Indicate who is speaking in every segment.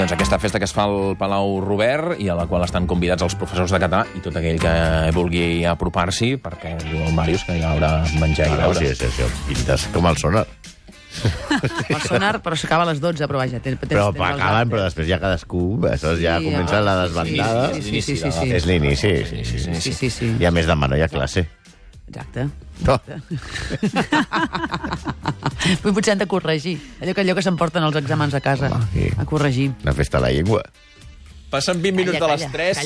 Speaker 1: Doncs aquesta festa que es fa al Palau Robert i a la qual estan convidats els professors de català i tot aquell que vulgui apropar-s'hi, perquè diu el Màrius que hi haurà menjar i beure.
Speaker 2: Sí, pintes com el sonar.
Speaker 3: El sonar, però s'acaba a les 12, però vaja...
Speaker 2: Però acaben, però després ja cadascú... Ja comença la desbandada.
Speaker 3: Sí.
Speaker 2: És l'inici.
Speaker 3: Sí.
Speaker 2: I a més demà no hi ha classe.
Speaker 3: Exacte.
Speaker 2: No.
Speaker 3: Potser han de corregir. Allò que s'emporten els exàmens a casa. A corregir.
Speaker 2: Una festa a la llengua.
Speaker 1: Passen 20 minuts de les 3.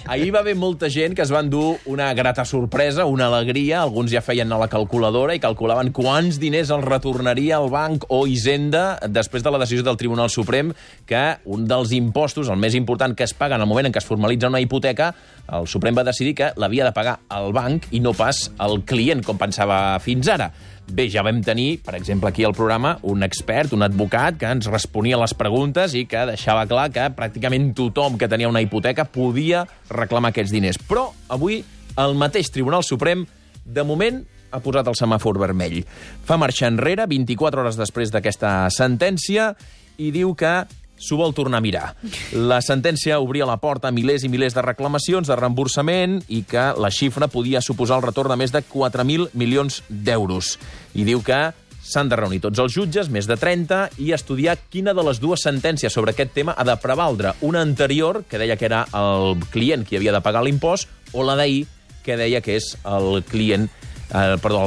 Speaker 1: Ahir va haver molta gent que es van dur una grata sorpresa, una alegria. Alguns ja feien a la calculadora i calculaven quants diners els retornaria el banc o Hisenda després de la decisió del Tribunal Suprem que un dels impostos, el més important que es paga en el moment en què es formalitza una hipoteca, el Suprem va decidir que l'havia de pagar el banc i no pas el client, com pensava fins ara. Bé, ja vam tenir, per exemple, aquí al programa, un expert, un advocat, que ens responia a les preguntes i que deixava clar que pràcticament tothom que tenia una hipoteca podia reclamar aquests diners. Però avui el mateix Tribunal Suprem, de moment, ha posat el semàfor vermell. Fa marxa enrere, 24 hores després d'aquesta sentència, i diu que s'ho vol tornar a mirar. La sentència obria la porta a milers i milers de reclamacions de reemborsament i que la xifra podia suposar el retorn de més de 4.000 milions d'euros. I diu que s'han de reunir tots els jutges, més de 30, i estudiar quina de les dues sentències sobre aquest tema ha de prevaldre. Una anterior, que deia que era el client qui havia de pagar l'impost, o la d'ahir, que deia que és el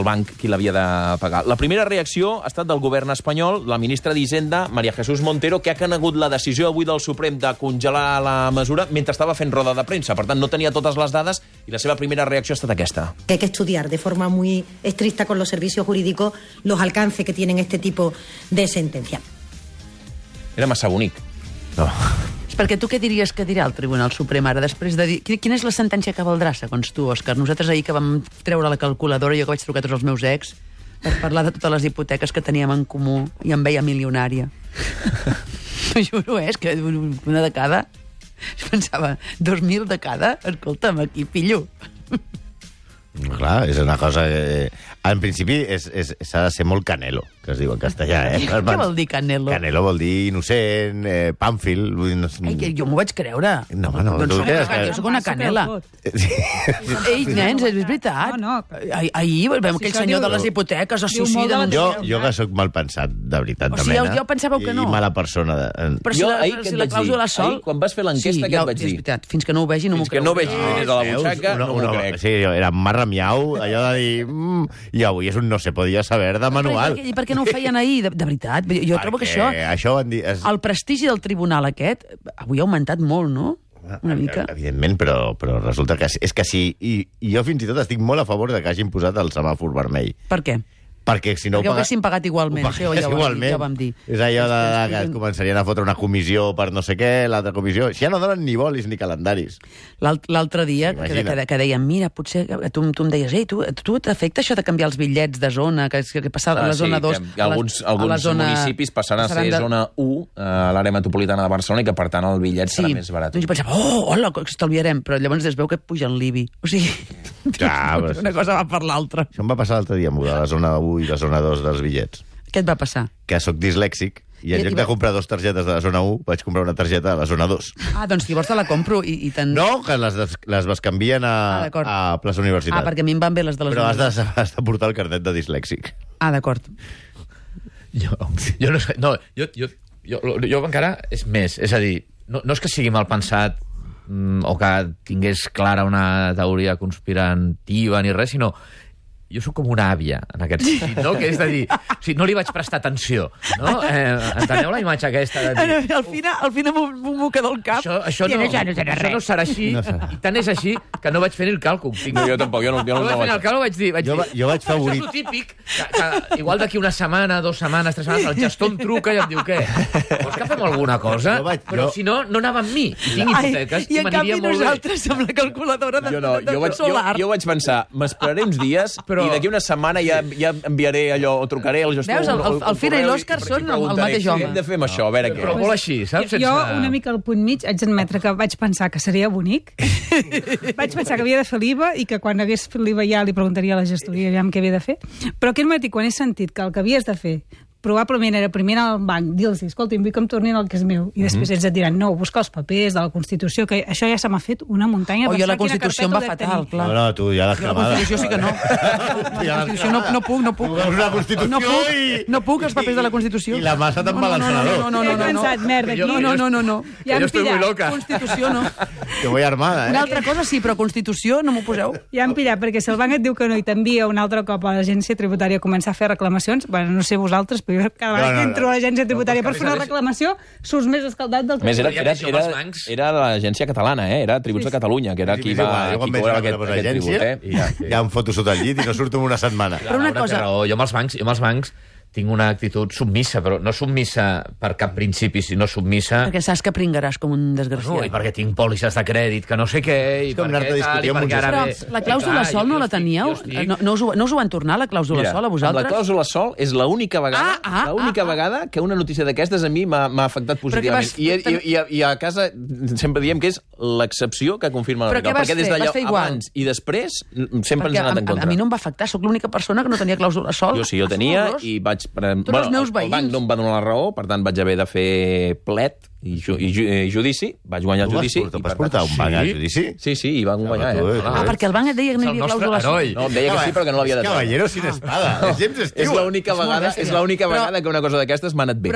Speaker 1: banc qui l'havia de pagar. La primera reacció ha estat del govern espanyol, la ministra d'Hisenda, María Jesús Montero, que ha conegut la decisió avui del Suprem de congelar la mesura mentre estava fent roda de premsa. Per tant, no tenia totes les dades i la seva primera reacció ha estat aquesta.
Speaker 4: Hay que estudiar de forma muy estricta con los servicios jurídicos los alcances que tienen este tipo de sentencia.
Speaker 1: Era massa bonic.
Speaker 2: No.
Speaker 3: Perquè tu què diries que dirà el Tribunal Suprem ara, després de dir... Quina és la sentència que valdrà, segons tu, Òscar? Nosaltres ahir que vam treure la calculadora, jo que vaig trucar tots els meus ex, per parlar de totes les hipoteques que teníem en comú, i em veia milionària. T'ho juro, és que una de cada... Jo pensava, 2.000 de cada? Escolta'm, aquí pillo.
Speaker 2: Clar, és una cosa que... En principi s'ha de ser molt canelo, que es diu en castellà,
Speaker 3: Què vol dir canelo?
Speaker 2: Canelo vol dir innocent, pàmfil...
Speaker 3: Ai, jo m'ho vaig creure.
Speaker 2: No.
Speaker 3: Doncs jo soc una canela. Ei, nens, és veritat.
Speaker 5: No.
Speaker 3: Ahir vam aquell senyor de les hipoteques,
Speaker 2: Jo que sóc mal pensat, de veritat, de mena.
Speaker 3: Jo pensàveu que no.
Speaker 2: I mala persona.
Speaker 3: Però si la clàusula sol...
Speaker 1: Quan vas fer l'enquesta, què et vaig dir?
Speaker 3: És veritat, fins que no ho vegi no m'ho crec.
Speaker 1: Fins que no vegi diners a la butxaca, no m'ho crec.
Speaker 2: Sí, era marra miau, allò de dir... I avui és un no se podia saber de manual.
Speaker 3: I per què no ho feien ahir? De veritat, jo trobo que això van dir... El prestigi del tribunal aquest avui ha augmentat molt, no? Una mica.
Speaker 2: Evidentment, però resulta que és que sí. I jo fins i tot estic molt a favor de que hagin posat el semàfor vermell.
Speaker 3: Per què?
Speaker 2: Perquè si no
Speaker 3: ho haguessin pagat igualment. Ja ho vam dir.
Speaker 2: És allò que començarien a fotre una comissió per no sé què, l'altra comissió. Si ja no donen ni bolis ni calendaris.
Speaker 3: L'altre dia que deien, mira, potser tu em deies, ei, tu t'afecta això de canviar els bitllets de zona, que passar a la zona 2...
Speaker 1: Alguns municipis passaran a ser zona 1 a l'àrea metropolitana de Barcelona i que, per tant, el bitllet serà més barat.
Speaker 3: Doncs jo pensava, hola, que estalviarem, però llavors es veu que pugen l'IBI. O sigui, una cosa va per l'altra.
Speaker 2: Això em va passar l'altre dia, de la zona 1 i la zona 2 dels bitllets.
Speaker 3: Què et va passar?
Speaker 2: Que sóc dislèxic i en lloc de comprar 2 targetes de la zona 1 vaig comprar una targeta de la zona 2.
Speaker 3: Doncs llavors te la compro i te'n...
Speaker 2: No, que les bescanvien a plaça Universitat.
Speaker 3: Perquè a mi em van bé les de la zona 2.
Speaker 2: Però has de portar el carnet de dislèxic.
Speaker 3: D'acord.
Speaker 6: Jo no sé... No, jo encara és més. És a dir, no és que sigui mal pensat o que tingués clara una teoria conspirativa ni res, sinó jo sóc com una àvia, en aquest sentit, no? Que és de dir, o sigui, no li vaig prestar atenció, no? Enteneu la imatge aquesta de dir...
Speaker 3: Al final m'ho queda al cap.
Speaker 6: Això no serà així, i tant és així que no vaig fer ni el càlcul.
Speaker 1: No, jo tampoc, jo no
Speaker 6: vaig fer el càlcul, vaig dir...
Speaker 2: Jo vaig favorit...
Speaker 6: Això és el típic, que igual d'aquí una setmana, 2 setmanes, 3 setmanes, el gestor em truca i em diu, què? Vols que fem alguna cosa? Però si no, no anava amb mi. Tinc hipoteques i m'aniria molt bé.
Speaker 3: I en canvi nosaltres amb la calculadora de solar.
Speaker 1: Jo vaig pensar, m'esperaré uns dies... I d'aquí una setmana ja enviaré allò, o trucaré al gestor...
Speaker 3: Veus, el Fira i l'Òscar són el mateix home.
Speaker 1: Què hem de fer amb això? A veure què.
Speaker 6: Però molt així, saps?
Speaker 5: Jo, una mica al punt mig, haig d'admetre que vaig pensar que seria bonic. Vaig pensar que havia de fer l'IVA i que quan hagués fet l'IVA ja li preguntaria a la gestoria aviam què havia de fer. Però aquest matí, quan he sentit que el que havies de fer probablement era primer al banc, dir-los, escolta, vull que em tornin el que és meu, i després ells et diran, no, busca els papers de la Constitució, que això ja se m'ha fet una muntanya.
Speaker 3: Jo la Constitució em va fatal, clar.
Speaker 2: No, tu ja l'has cremada.
Speaker 3: La Constitució sí que no. La Constitució no puc.
Speaker 2: Una Constitució
Speaker 3: No puc, els papers de la Constitució.
Speaker 2: I la massa te'n va l'encenedor.
Speaker 3: No.
Speaker 5: He pensat, merda, aquí.
Speaker 3: No.
Speaker 5: Ja
Speaker 6: jo estoy muy loca.
Speaker 3: Constitució no.
Speaker 2: Que voy armada,
Speaker 3: Una altra cosa sí, però Constitució no m'ho poseu.
Speaker 5: Ja han pillat, perquè si el banc et diu que no i t'envia un altre cop a l'agència tributària a començar a fer reclamacions, bueno, no sé vosaltres, però jo cada vegada que entro a l'agència tributària per fer una reclamació, surts més escaldat del que...
Speaker 1: Més, era l'agència catalana, era Tributs de Catalunya, que era qui cobrava aquest tribut.
Speaker 2: Ja em foto sota el llit i no surto en una setmana.
Speaker 3: Però una cosa...
Speaker 6: Jo amb els bancs tinc una actitud submissa, però no submissa per cap principi, sinó submissa...
Speaker 3: Perquè saps que pringaràs com un desgraciat.
Speaker 6: I perquè tinc pòlisses de crèdit, que no sé què, i perquè tal, i perquè ara...
Speaker 3: Però la clàusula sol no la teníeu? No us ho van tornar, la clàusula sol, a vosaltres?
Speaker 1: La clàusula sol és l'única vegada que una notícia d'aquestes a mi m'ha afectat positivament. I a casa sempre diem que és l'excepció que confirma la regla. Perquè des d'allò abans i després sempre ens ha anat en contra.
Speaker 3: A mi no em va afectar, sóc l'única persona que no tenia clàusula sol.
Speaker 1: Jo sí, jo tenia i vaig...
Speaker 3: els
Speaker 1: el banc no em va donar la raó, per tant vaig haver de fer plet i judici, vaig guanyar el judici.
Speaker 2: Vas portar un banc al judici?
Speaker 1: Sí, i van guanyar.
Speaker 3: Perquè el banc et deia que no hi havia clàusula sol.
Speaker 1: No, em deia que sí, però que no l'havia de treure.
Speaker 2: Caballero sin espada. És l'única vegada que una cosa d'aquestes m'ha anat bé.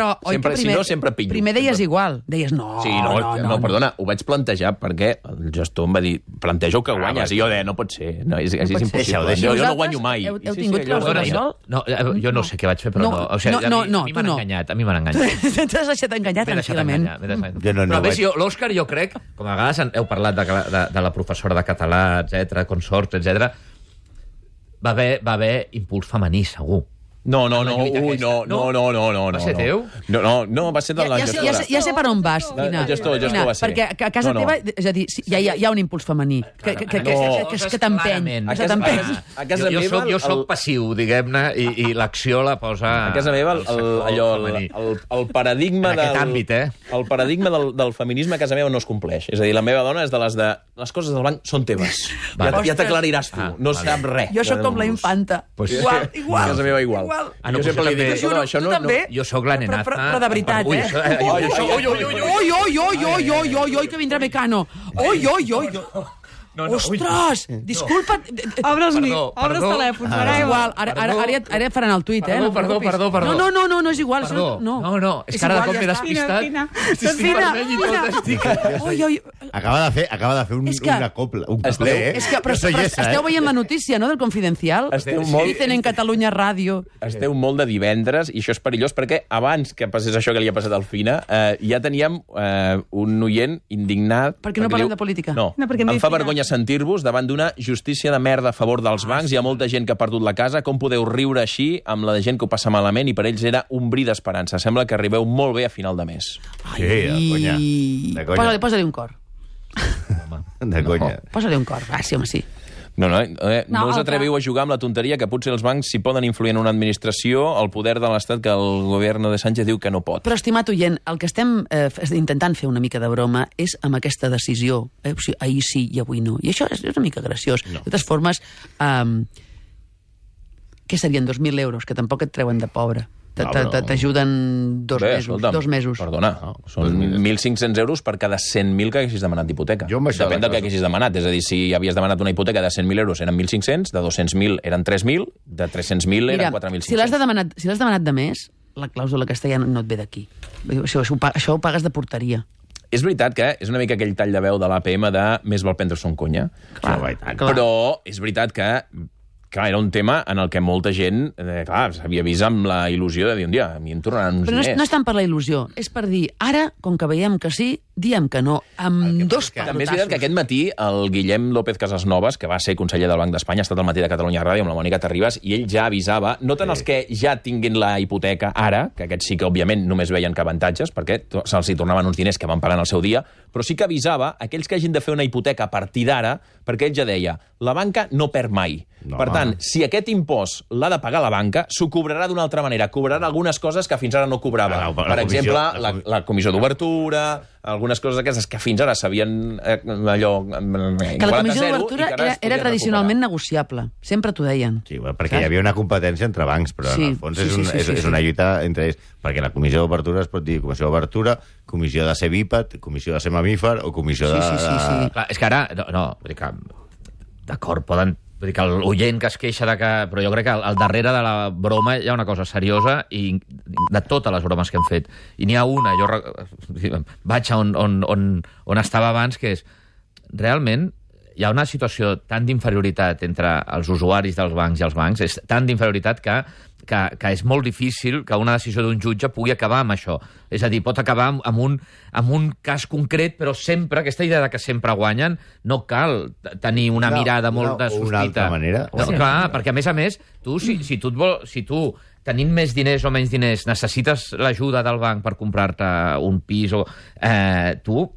Speaker 2: Si no, sempre pillo.
Speaker 3: Primer deies igual. Deies no.
Speaker 1: Sí, no, perdona, ho vaig plantejar perquè el gestor em va dir, planteja que guanyes. I jo deia, no pot ser, és impossible. Jo no guanyo mai.
Speaker 3: Heu tingut clàusula sol?
Speaker 6: No, jo no sé què vaig fer, però no. A mi m'han enganyat,
Speaker 3: T'has deixat enganyar tranquil·lament.
Speaker 6: Però a més, l'Òscar, jo crec, com a vegades heu parlat de la professora de català, etc, consorts, etc, va haver impuls femení, segur.
Speaker 1: No. Va
Speaker 6: ser teu?
Speaker 1: No, va ser de la gestora.
Speaker 3: Ja sé per on vas, Quina.
Speaker 1: El gestor va ser.
Speaker 3: Perquè a casa teva, és a dir, hi ha un impuls femení que t'empeny.
Speaker 1: A casa meva...
Speaker 6: Jo soc passiu, diguem-ne, i l'acció la posa...
Speaker 1: A casa meva, el paradigma el paradigma del feminisme a casa meva no es compleix. És a dir, la meva dona és de les de... Les coses del banc són teves. Ja t'aclariràs tu. No sap res.
Speaker 3: Jo sóc com la infanta. Igual.
Speaker 1: A casa meva igual.
Speaker 6: Jo sempre li dic, això no... Jo sóc la nenata...
Speaker 3: Però de veritat, Oi, que vindrà Mecano. Oi. Ostres, disculpa't.
Speaker 5: Obre'ls telèfons, ara
Speaker 3: igual. Ara faran el tuit,
Speaker 6: Perdó.
Speaker 3: No, és igual.
Speaker 6: No, és que ara de cop m'he despistat. Estic vermell i tot,
Speaker 3: Oi.
Speaker 2: Acaba de fer una copla. Un coplé,
Speaker 3: Però esteu veient la notícia, no?, del Confidencial. Dicen en Catalunya Ràdio.
Speaker 1: Esteu molt de divendres, i això és perillós, perquè abans que passés això que li ha passat al Fina, ja teníem un oient indignat...
Speaker 3: Per què no parlem de política?
Speaker 1: No, em fa vergonya sentir-vos davant d'una justícia de merda a favor dels bancs. Hi ha molta gent que ha perdut la casa. Com podeu riure així amb la gent que ho passa malament? I per ells era un bri d'esperança. Sembla que arribeu molt bé a final de mes.
Speaker 2: De conya.
Speaker 3: Posa-li un cor.
Speaker 2: De conya.
Speaker 3: Posa-li un cor. Sí, home, sí.
Speaker 1: No us atreviu a jugar amb la tonteria que potser els bancs si poden influir en una administració el poder de l'Estat que el govern de Sánchez diu que no pot.
Speaker 3: Però, estimat oient, el que estem intentant fer una mica de broma és amb aquesta decisió. O sigui, ahir sí i avui no. I això és una mica graciós. De totes formes, què serien 2.000 euros? Que tampoc et treuen de pobre. T'ajuden 2 mesos.
Speaker 1: Perdona, són 1.500 euros per cada 100.000 que haguessis demanat d'hipoteca. Depèn del que haguessis demanat. És a dir, si havies demanat una hipoteca de 100.000 euros eren 1.500, de 200.000 eren 3.000, de 300.000 eren 4.500.
Speaker 3: Si l'has demanat de més, la clàusula castellana no et ve d'aquí. Això ho pagues de porteria.
Speaker 1: És veritat que és una mica aquell tall de veu de l'APM de més val prendre-s'ho en conya. Però és veritat que era un tema en el que molta gent s'havia vist amb la il·lusió de dir un dia, a mi em tornaran uns diners.
Speaker 3: Però no és tant per la il·lusió, és per dir, ara, com que veiem que sí, diem que no, amb dos pelotassos.
Speaker 1: També és veritat que aquest matí el Guillem López Casasnovas, que va ser conseller del Banc d'Espanya, ha estat al matí de Catalunya Ràdio amb la Mònica Terribas, i ell ja avisava, no tant els que ja tinguin la hipoteca ara, que aquests sí que, òbviament, només veien que avantatges, perquè se'ls hi tornaven uns diners que van pagar en el seu dia, però sí que avisava aquells que hagin de fer una hipoteca a partir d'ara, perquè ell ja deia, la banca no perd mai. Per tant, tant, si aquest impost l'ha de pagar la banca, s'ho cobrarà d'una altra manera. Cobrarà algunes coses que fins ara no cobrava. Per exemple, la comissió d'obertura, algunes coses aquestes que fins ara s'havien allò...
Speaker 3: Que la comissió d'obertura era tradicionalment negociable. Sempre t'ho deien.
Speaker 2: Sí, perquè hi havia una competència entre bancs, però en el fons és una lluita entre ells. Perquè la comissió d'obertura es pot dir comissió d'obertura, comissió de ser bíped, comissió de ser mamífer o comissió de...
Speaker 6: Sí. Clar, és que ara... No, vull dir que... D'acord, poden... Vull dir que l'oient que es queixa de que... Però jo crec que al darrere de la broma hi ha una cosa seriosa i de totes les bromes que hem fet. I n'hi ha una, jo vaig a on estava abans, que és... Realment hi ha una situació tan d'inferioritat entre els usuaris dels bancs i els bancs, és tan d'inferioritat que és molt difícil que una decisió d'un jutge pugui acabar amb això. És a dir, pot acabar amb un cas concret, però sempre, aquesta idea de que sempre guanyen, no cal tenir una mirada molt de sospita.
Speaker 2: Una altra manera.
Speaker 6: No, clar, perquè a més, tu, si tu tenint més diners o menys diners, necessites l'ajuda del banc per comprar-te un pis, tu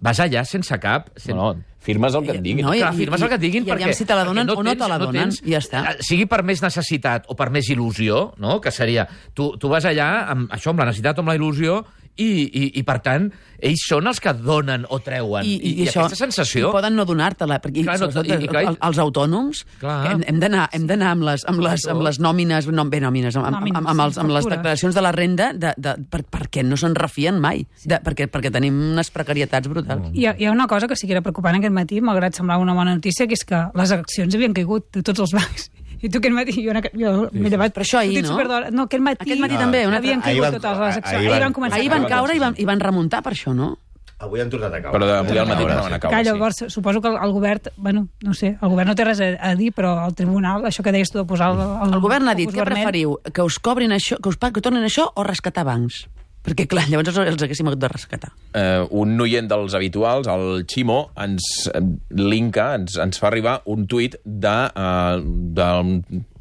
Speaker 6: vas allà sense cap...
Speaker 1: No, firmes el que et diguin.
Speaker 6: No, clar, firmes el que et diguin
Speaker 3: perquè... I si te la donen o no te la donen, i ja està.
Speaker 6: Sigui per més necessitat o per més il·lusió, no? Que seria... Tu vas allà amb això, amb la necessitat o amb la il·lusió, i per tant, ells són els que donen o treuen. I
Speaker 3: això,
Speaker 6: aquesta sensació...
Speaker 3: I poden no donar-te-la, perquè els autònoms hem d'anar amb les nòmines, amb les declaracions de la renda, perquè no se'n refien mai, perquè tenim unes precarietats brutals.
Speaker 5: Hi ha una cosa que sí que era preocupant aquest matí, malgrat semblava una bona notícia, que és que les accions havien caigut de tots els bancs. I tu aquest matí, jo m'he llevat...
Speaker 3: Però això ahir, no?
Speaker 5: No, aquest matí
Speaker 3: també.
Speaker 5: Havien caigut totes les accions.
Speaker 3: Ahir van caure i van remuntar per això, no?
Speaker 2: Avui han tornat a caure.
Speaker 1: Però avui al matí no van a caure,
Speaker 5: llavors, suposo que el govern, bueno, no sé, el govern no té res a dir, però el tribunal, això que deies tu de posar...
Speaker 3: El govern ha dit, què preferiu? Que us cobrin això, que tornin això o rescatar bancs? Perquè, clar, llavors els haguéssim hagut de rescatar.
Speaker 1: Un oient dels habituals, el Ximo, ens fa arribar un tuit del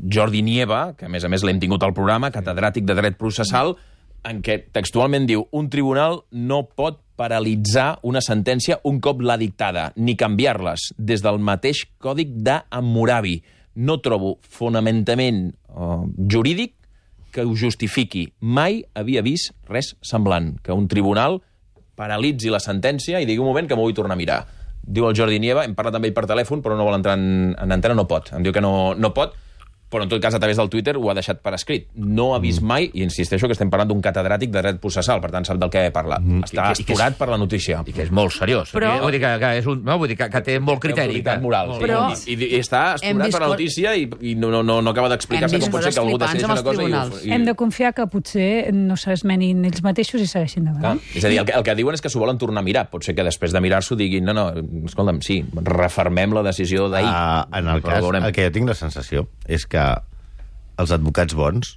Speaker 1: Jordi Nieva, que a més l'hem tingut al programa, catedràtic de dret processal, en què textualment diu: un tribunal no pot paralitzar una sentència un cop l'ha dictada, ni canviar-les des del mateix còdic d'Hammurabi. No trobo fonamentament jurídic que ho justifiqui. Mai havia vist res semblant, que un tribunal paralitzi la sentència i digui un moment que m'ho vull tornar a mirar. Diu el Jordi Nieva, hem parlat amb ell per telèfon, però no vol entrar en antena, no pot. Em diu que no pot, però en tot cas a través del Twitter ho ha deixat per escrit. No ha vist mai, i insisteixo que estem parlant d'un catedràtic de dret processal, per tant sap del què parla. Està astorat per la notícia.
Speaker 6: I que és molt seriós. Però... Vull dir que té molt criteri.
Speaker 1: Moral. Però... I està astorat per la notícia i no acaba d'explicar-se com pot ser que algú decideixi una cosa.
Speaker 5: Hem de confiar que potser no s'esmenin ells mateixos i segueixin davant.
Speaker 1: És a dir, el que diuen és que s'ho volen tornar a mirar. Pot ser que després de mirar-s'ho diguin no, escolta'm, sí, refermem la decisió d'ahir.
Speaker 2: En el cas, el que jo tinc la sensació és que els advocats bons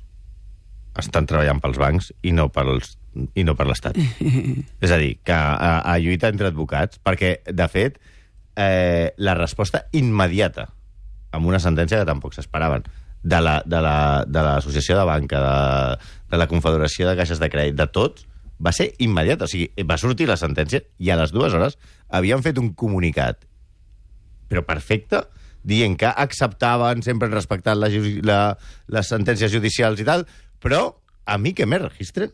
Speaker 2: estan treballant pels bancs i no per l'Estat. És a dir, que a lluita entre advocats, perquè, de fet, la resposta immediata amb una sentència que tampoc s'esperaven de l'Associació de Banca, de la Confederació de Caixes de Crèdit, de tots, va ser immediata. O sigui, va sortir la sentència i a les 2 hores havien fet un comunicat, però perfecte, dient que acceptaven, sempre han respectat les sentències judicials i tal, però a mi que me registren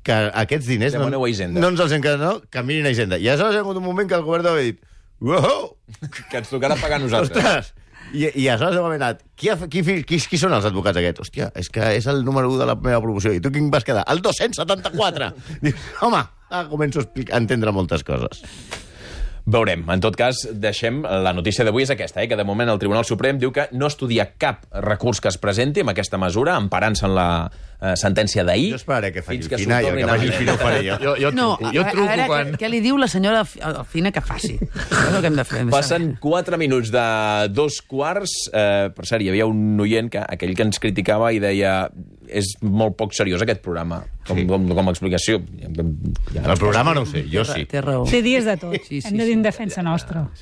Speaker 2: que aquests diners no ens els hem quedat, no? Que mirin a Hisenda. I aleshores hi ha hagut un moment que el govern ha dit uau!
Speaker 1: Que ens tocarà pagar nosaltres.
Speaker 2: Ostres! I aleshores hem anat, qui són els advocats aquests? Hòstia, és que és el número 1 de la meva promoció. I tu quin vas quedar? El 274! Dius, home, començo a entendre moltes coses.
Speaker 1: Veurem. En tot cas, deixem... La notícia d'avui és aquesta, que de moment el Tribunal Suprem diu que no estudia cap recurs que es presenti amb aquesta mesura, emparant-se en la sentència d'ahir.
Speaker 2: Jo esperaré que faci el Fina i el que faci el Fina ho faré jo.
Speaker 6: Jo truco quan...
Speaker 3: Què li diu la senyora Fina que faci? És el que hem de fer.
Speaker 1: Passen 4 minuts de 2:15. Per cert, hi havia un oient, aquell que ens criticava i deia és molt poc seriós aquest programa, com a explicació.
Speaker 2: El programa no ho sé, jo sí.
Speaker 3: Té raó.
Speaker 5: Té dies de tot. Hem de dir en defensa nostra.